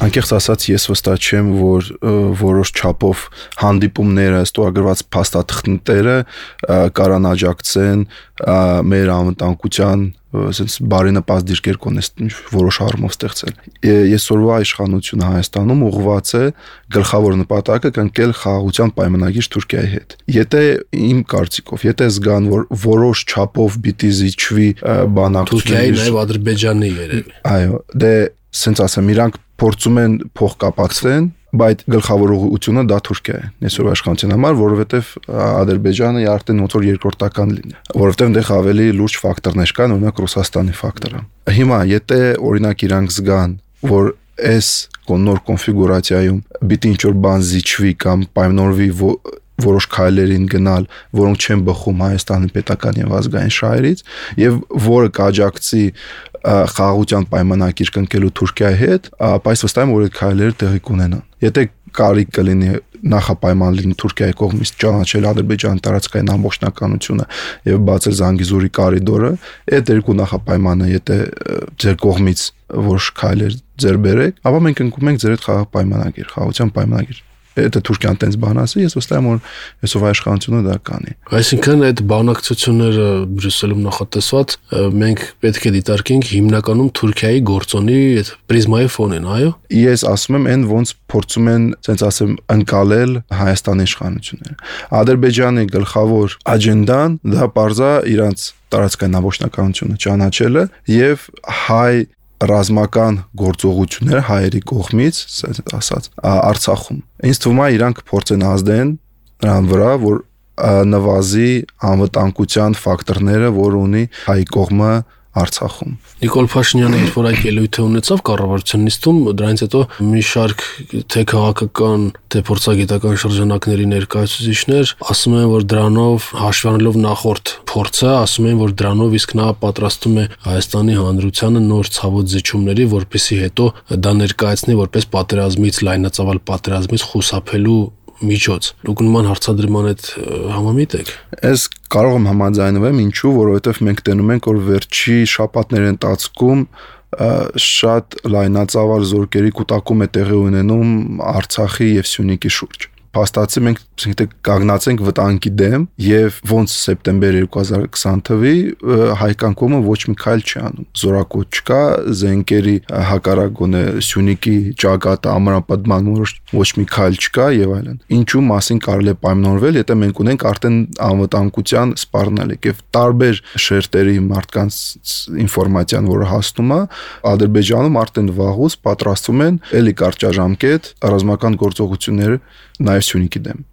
Անկեղծ ասած ես վստահ չեմ, որ որոշ չափով հանդիպումները, ստորագրված փաստաթղթերը կարան աջակցեն մեր անվտանգության ասենց բարենպաստ դիրքեր կոնես որոշ առումով ստեղծել։ Այսօրվա իշխանությունը Հայաստանում ուղղված է գլխավոր նպատակը կնքել խաղաղության պայմանագիր Թուրքիայի հետ։ Եթե իմ կարծիքով, եթե զգան, որ որոշ չափով պիտի զիջվի բանակցությունների, Թուրքիայի նաև Ադրբեջանի երևի։ Այո, դե սենց ասեմ, իրանք փորձում են փող կապակցեն, բայց գլխավոր ուղղությունը դա Թուրքիա է։ Այսօրվա իշխանության համար, որովհետև Ադրբեջանը արդեն ոնց որ երկրորդական լինի, որովհետև այնտեղ ավելի լուրջ ֆակտորներ կան, օրինակ Ռուսաստանի ֆակտորը։ Հիմա եթե օրինակ իրանք զգան, որ այս նոր կոնֆիգուրացիայում պիտի ինչ-որ բան զիջվի կամ պայմանավորվի որոշ քայլերին գնալ, որոնք չեն բխում Հայաստանի պետական եւ ազգային շահերից եւ որը կաջակցի խաղաղության պայմանագիր կնքելու Թուրքիայի հետ, ապա այս վստահ եմ, որ այդ քայլերը տեղի կունենան։ Եթե կարիք կլինի նախապայման լինի Թուրքիայի կողմից ճանաչել Ադրբեջանի տարածքային ամբողջականությունը եւ բացել Զանգիզուրի կորիդորը, այդ երկու նախապայմանը եթե ձեր կողմից որոշ քայլեր ձեր բերեք, ապա մենք ընկնում ենք ձեր այդ խաղաղ պայմանագիր, խաղաղության պայմանագիր։ Եթե Թուրքիան տենց բան ասի, ես վստահ եմ, որ այսօրվա իշխանությունը դա կանի։ Այսինքն այդ բանակցությունները Բրյուսելում նախատեսված մենք պետք է դիտարկենք հիմնականում Թուրքիայի գործոնի այդ պրիզմայի ֆոնին, այո։ Ես ասում եմ, այն ոնց փորձում են, ասենց ասեմ, ընկալել Հայաստանի իշխանությունները։ Ադրբեջանի գլխավոր աջենդան դա պարզա իրանց տարածքային ամբողջականությունը ճանաչելը եւ հայ ռազմական գործողություններ հայերի կողմից, ասած, Արցախում։ Ինձ թվում է իրանք փորձեն ազդեն նրան վրա, որ նվազի անվտանգության ֆակտորները, որ ունի հայ կողմը Արցախում։ Նիկոլ Փաշինյանը ինչ որ այդ ելույթը ունեցավ կառավարության նիստում, դրանից հետո մի շարք թե քաղաքական, թե փորձագիտական շրջանակների ներկայացուցիչներ ասում են, որ դրանով հաշվառելով նախորդ փորձը, ասում են, որ դրանով իսկ նա պատրաստում է Հայաստանի Հանրությանը նոր ցավոտ զիջումների, որպեսզի հետո դա ներկայացնի որպես պատերազմից, լայնածավալ պատերազմից խուսափելու միջոց։ Դուք նման հարցադրման հետ համամիտ եք։ Ես կարող եմ համաձայնվել, ինչու, որովհետև մենք տենում ենք, որ վերջի շաբաթների ընթացքում շատ լայնածավալ զորքերի կուտակում է տեղի ունենում Արցախի եւ Սյունիքի շուրջ։ Փաստացի մենք կանգնացենք վտանգի դեմ եւ ոնց սեպտեմբեր 2020 թվի հայկական կողմը ոչ մի քայլ չի անում։ Զորակոտ չկա, զենքերի հակառակ գոնե Սյունիքի ճակատը ամրապնդման ոչ մի քայլ չկա եւ այլն։ Ինչու մասին կարելի է պայմանավորվել, եթե մենք ունենք արդեն անվտանգության սպառնալիք եւ տարբեր շերտերի մարդկանց ինֆորմացիան, որը հասնում է, Ադրբեջանում արդեն վաղուց պատրաստվում են էլի կարճաժամկետ ռազմական գործողությունները նաեւ Սյունիքի դեմ։